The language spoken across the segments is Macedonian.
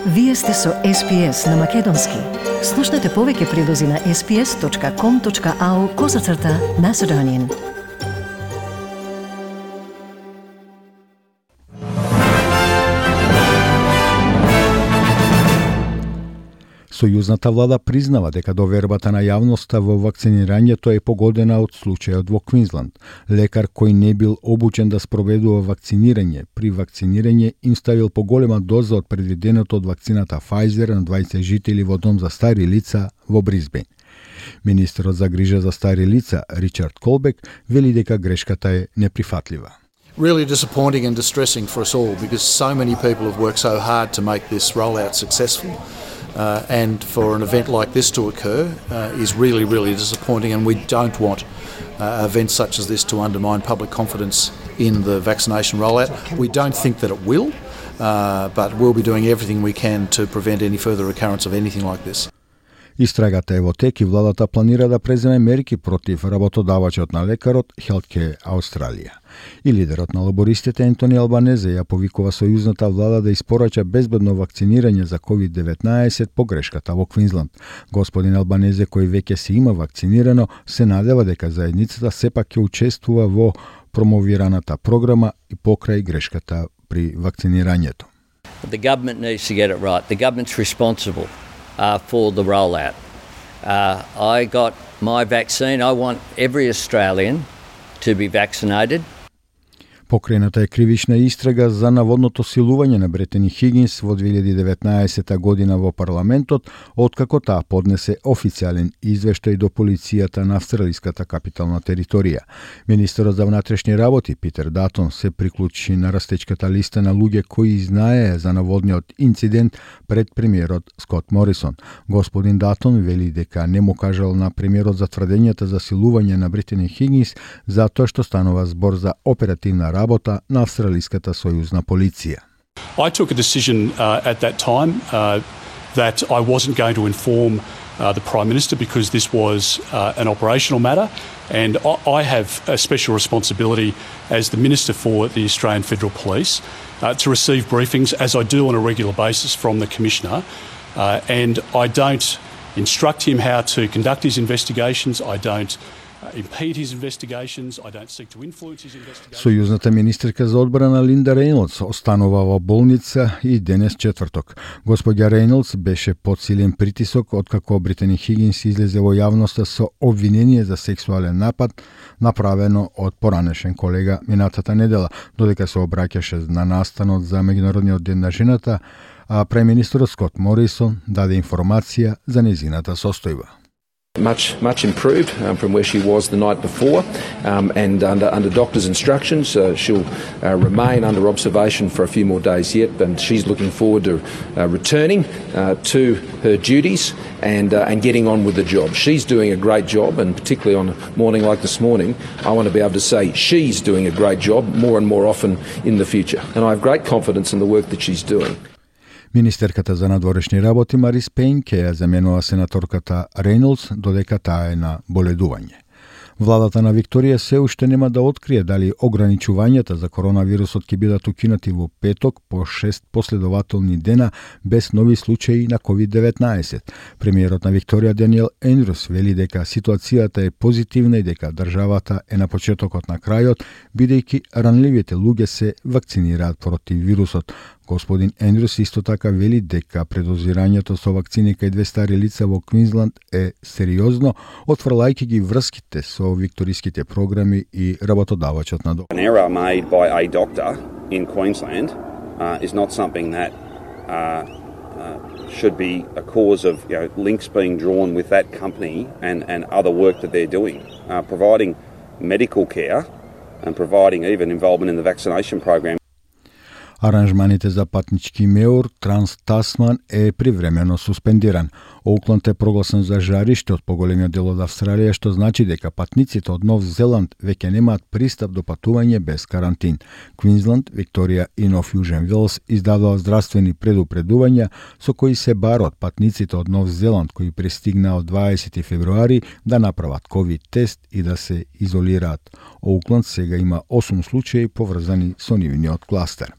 Вие сте со SPS на Македонски. Слушнете повеќе прилози на sps.com.au/Macedonian. Сојузната влада признава дека довербата на јавноста во вакцинирањето е погодена од случајот во Квинсланд. Лекар кој не бил обучен да спроведува вакцинирање, при вакцинирање им ставил поголема доза од предвиденото од вакцината Pfizer на 20 жители во дом за стари лица во Брисбен. Министерот за грижа за стари лица Ричард Колбек вели дека грешката е неприфатлива. Really disappointing and distressing for us all because so many people have worked so hard to make this rollout successful. And for an event like this to occur is really, really disappointing, and we don't want events such as this to undermine public confidence in the vaccination rollout. We don't think that it will, but we'll be doing everything we can to prevent any further recurrence of anything like this. Истрагата е во тек и владата планира да преземе мерки против работодавачот на лекарот Healthcare Australia. И лидерот на лабористите Ентони Албанезе ја повикува сојузната влада да испорача безбедно вакцинирање за COVID-19 по грешката во Квинсланд. Господин Албанезе, кој веќе се има вакцинирано, се надева дека заедницата сепак ќе учествува во промовираната програма и покрај грешката при вакцинирањето. The government needs to get it right. The government's responsible for the rollout. I got my vaccine. I want every Australian to be vaccinated. Покрената е кривична истрага за наводното силување на Бретани Хигинс во 2019 година во парламентот, откако таа поднесе официјален извештај до полицијата на австралиската капитална територија. Министерот за внатрешни работи Питер Датон се приклучи на растечката листа на луѓе кои знаеа за наводниот инцидент пред премиерот Скот Морисон. Господин Датон вели дека не му кажал на премиерот за тврдењата за силување на Бретани Хигинс затоа што станува збор за оперативна работа на австралиската сојузна полиција. I took a decision at that time that I wasn't going to inform the Prime Minister because this was an operational matter, and I have a special responsibility as the Minister for the Australian Federal Police to receive briefings, as I do on a regular basis, from the Commissioner, and I don't instruct him how to conduct his investigations, I don't impede his investigations, I don't seek to influence his investigations. Сојузната министерка за одбрана Линда Рейнолдс останува во болница и денес четврток. Господја Рейнолдс беше под силен притисок откако Бретани Хигинс излезе во јавноста со обвинение за сексуален напад направено од поранешен колега минатата недела, додека се обраќаше на настанот за Меѓународниот ден на жената, а премиерот Скот Морисон даде информација за нејзината состојба. Much improved from where she was the night before, and under doctor's instructions, she'll remain under observation for a few more days yet. And she's looking forward to returning to her duties and getting on with the job. She's doing a great job, and particularly on a morning like this morning, I want to be able to say she's doing a great job more and more often in the future. And I have great confidence in the work that she's doing. Министерката за надворешни работи Марис Пейн ќе ја заменува сенаторката Рейнолдс додека таа е на боледување. Владата на Викторија се уште нема да открие дали ограничувањата за коронавирусот ќе бидат укинати во петок по 6 последователни дена без нови случаи на COVID-19. Премиерот на Викторија Даниел Ендрус вели дека ситуацијата е позитивна и дека државата е на почетокот на крајот, бидејќи ранливите луѓе се вакцинираат против вирусот. Господин Ендрус исто така вели дека предозирањето со вакцини кај 2 стари лица во Квинсланд е сериозно, отфрлајќи ги врските со викториските програми и работодавачот на доктор. An error made by a doctor in Queensland is not something that should be a cause of links being drawn with that company and other work that they're doing. Providing medical care and providing even involvement in the vaccination program. Аранжманите за патнички меур Транс-Тасман е привремено суспендиран. Оукланд е прогласен за жариште од поголемиот дел од Австралија, што значи дека патниците од Нов Зеланд веќе немаат пристап до патување без карантин. Квинсланд, Викторија и Нов Јужен Велс издадоа здравствени предупредувања со кои се барат патниците од Нов Зеланд кои пристигнаа од 20 февруари да направат ковид тест и да се изолираат. Оукланд сега има 8 случаи поврзани со нивниот кластер.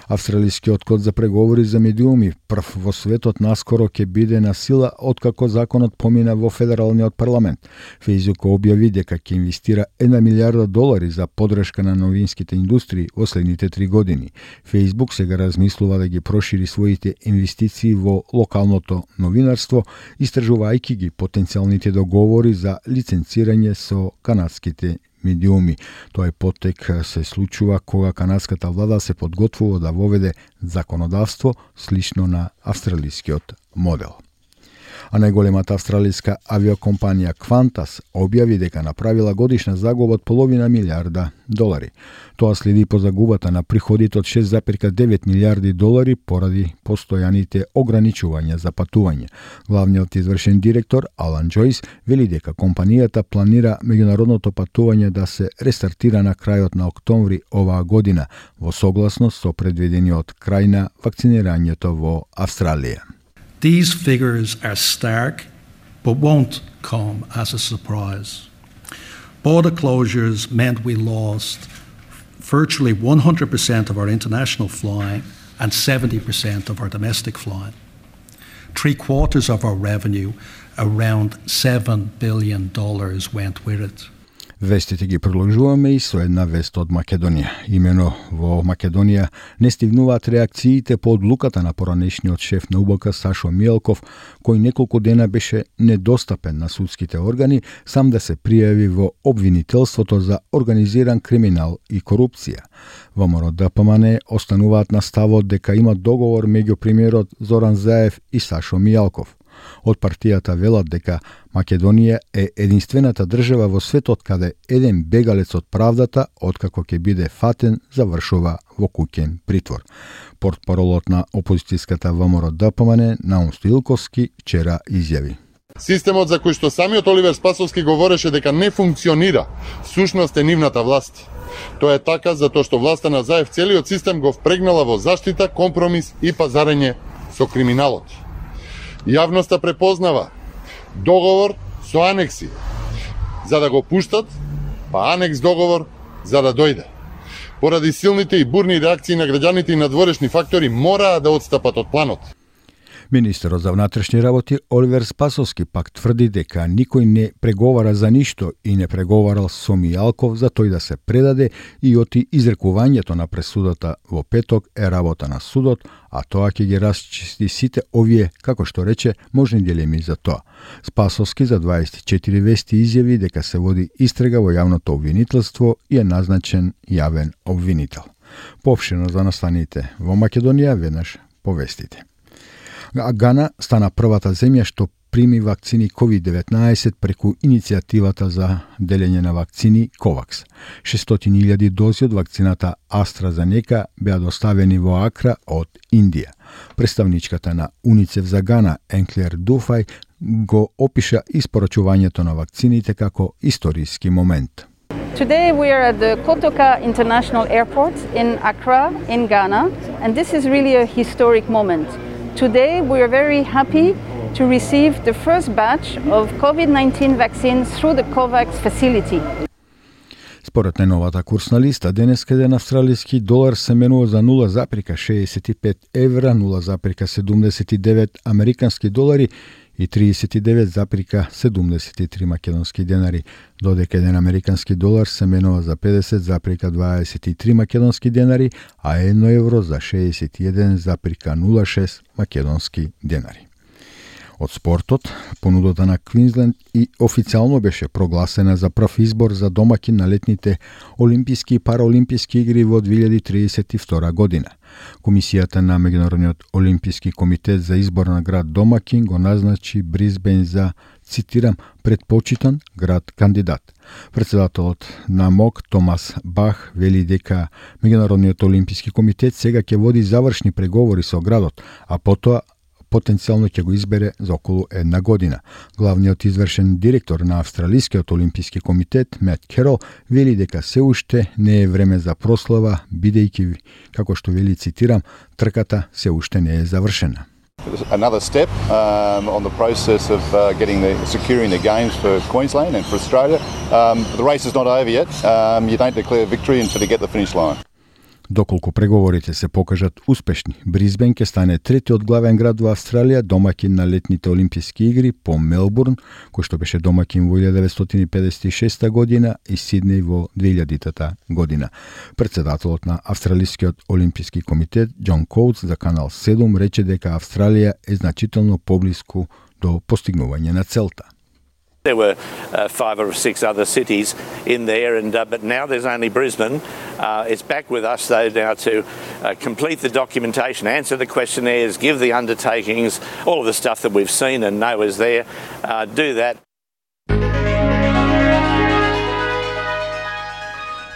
Австралискиот код за преговори за медиуми, прв во светот, наскоро ќе биде на сила откако законот помина во федералниот парламент. Facebook објави дека ќе инвестира $1 милиарда за подршка на новинските индустрии во следните 3 години. Facebook сега размислува да ги прошири своите инвестиции во локалното новинарство, истражувајќи ги потенцијалните договори за лиценцирање со канадските медиуми. Тој потек се случува кога канадската влада се подготвува да воведе законодавство слично на австралискиот модел. А најголемата австралиска авиокомпанија Qantas објави дека направила годишна загуба од $0,5 милиарда. Тоа следи по загубата на приходите од $6,9 милиарди поради постојаните ограничувања за патување. Главниот извршен директор Алан Джойс вели дека компанијата планира меѓународното патување да се рестартира на крајот на октомври оваа година, во согласност со предвидениот крај на вакцинирањето во Австралија. These figures are stark, but won't come as a surprise. Border closures meant we lost virtually 100% of our international flying and 70% of our domestic flying. 3/4 of our revenue, around $7 billion, went with it. Вестите ги продолжуваме и со една вест од Македонија. Имено во Македонија не стигнуваат реакциите по одлуката на поранешниот шеф на УБК Сашо Мијалков, кој неколку дена беше недостапен на судските органи сам да се пријави во обвинителството за организиран криминал и корупција. ВМРО ДПМН остануваат на ставот дека има договор меѓу премиерот Зоран Заев и Сашо Мијалков. Од партијата велат дека Македонија е единствената држава во светот каде еден бегалец од правдата, откако ќе биде фатен, завршува во куќен притвор. Портпаролот на опозицијската ВМРО ДПМН Наум Стоилковски вчера изјави: Системот за кој што самиот Оливер Спасовски говореше дека не функционира, сушност е нивната власт. Тоа е така затоа што власта на Заев целиот систем го впрегнала во заштита, компромис и пазарење со криминалот. Јавноста препознава договор со анекси за да го пуштат, па анекс договор за да дојде. Поради силните и бурни реакции на граѓаните и надворешни фактори мораа да отстапат од планот. Министерот за внатрешни работи Оливер Спасовски пак тврди дека никој не преговара за ништо и не преговарал со Мијалков за тој да се предаде и оти изрекувањето на пресудата во петок е работа на судот, а тоа ќе ги расчисти сите овие, како што рече, можни дилеми за тоа. Спасовски за 24 вести изјави дека се води истрага во јавното обвинителство и е назначен јавен обвинител. Поопштено за настаните во Македонија веднаш по вестите. Гана стана првата земја што прими вакцини COVID-19 преку иницијативата за делење на вакцини COVAX. 600.000 дози од вакцината AstraZeneca беа доставени во Акра од Индија. Представничката на УНИЦЕФ за Гана, Енклер Дуфај, го опиша испорачувањето на вакцините како историски момент. Today we are at the Kotoka International Airport in Accra, in Ghana, and this is really a historic moment. Today we are very happy to receive the first batch of COVID-19 vaccines through the COVAX facility. Според најновата курсна листа, денес еден австралиски долар се менува за 0,65 евра, 0,79 американски долари и 39,73 македонски денари, додека еден американски долар се менува за 50,23 македонски денари, а 1 евро за 61,06 македонски денари. Од спортот, понудата на Квинсленд и официјално беше прогласена за прв избор за домакин на летните Олимписки и Параолимписки игри во 2032 година. Комисијата на Меѓународниот Олимписки комитет за избор на град домакин го назначи Брисбен за, цитирам, предпочитан град кандидат. Председателот на МОК Томас Бах вели дека Меѓународниот Олимписки комитет сега ќе води завршни преговори со градот, а потоа потенцијално ќе го избере за околу една година. Главниот извршен директор на Австралискиот Олимписки комитет, Мет Керол, вели дека се уште не е време за прослава, бидејќи, како што вели, цитирам, трката се уште не е завршена. Another step on the process of securing the games for Queensland and for Australia. The race is not over yet. You don't declare victory until you get the finish line. Доколку преговорите се покажат успешни, Брисбен ќе стане третиот главен град во Австралија домаќин на летните олимписки игри по Мелбурн, кој што беше домаќин во 1956 година и Сиднеј во 2000 година. Председателот на Австралискиот олимписки комитет Џон Коутс за Канал 7 рече дека Австралија е значително поблиску до постигнување на целта. There were 5 or 6 other cities in there, but now there's only Brisbane. It's back with us, though, now to complete the documentation, answer the questionnaires, give the undertakings, all of the stuff that we've seen and know is there. Do that.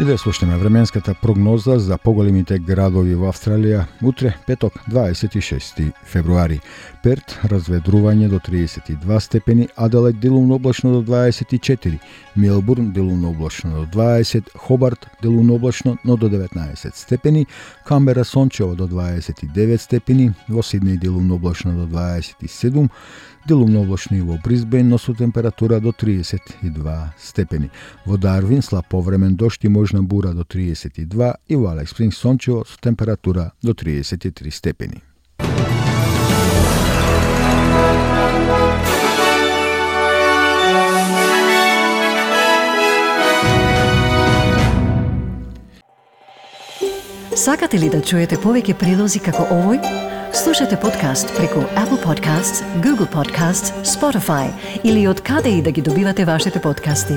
И да слушнеме временската прогноза за поголемите градови во Австралија утре, петок, 26 февруари. Перт, разведрување до 32 степени, Аделаид делумно облачно до 24, Мелбурн делумно облачно до 20, Хобарт делумно облачно, но до 19 степени, Камбера сончево до 29 степени, во Сиднеј делумно облачно до 27, делумно облачно и во Брисбен, но со температура до 32 степени. Во Дарвин слаб повремен дожд и можна бура до 32 и во Алекс Спрингс сончево со температура до 33 степени. Сакате ли да чуете повеќе прилози како овој? Слушате подкаст преку Apple Podcasts, Google Podcasts, Spotify или од каде и да ги добивате вашите подкасти.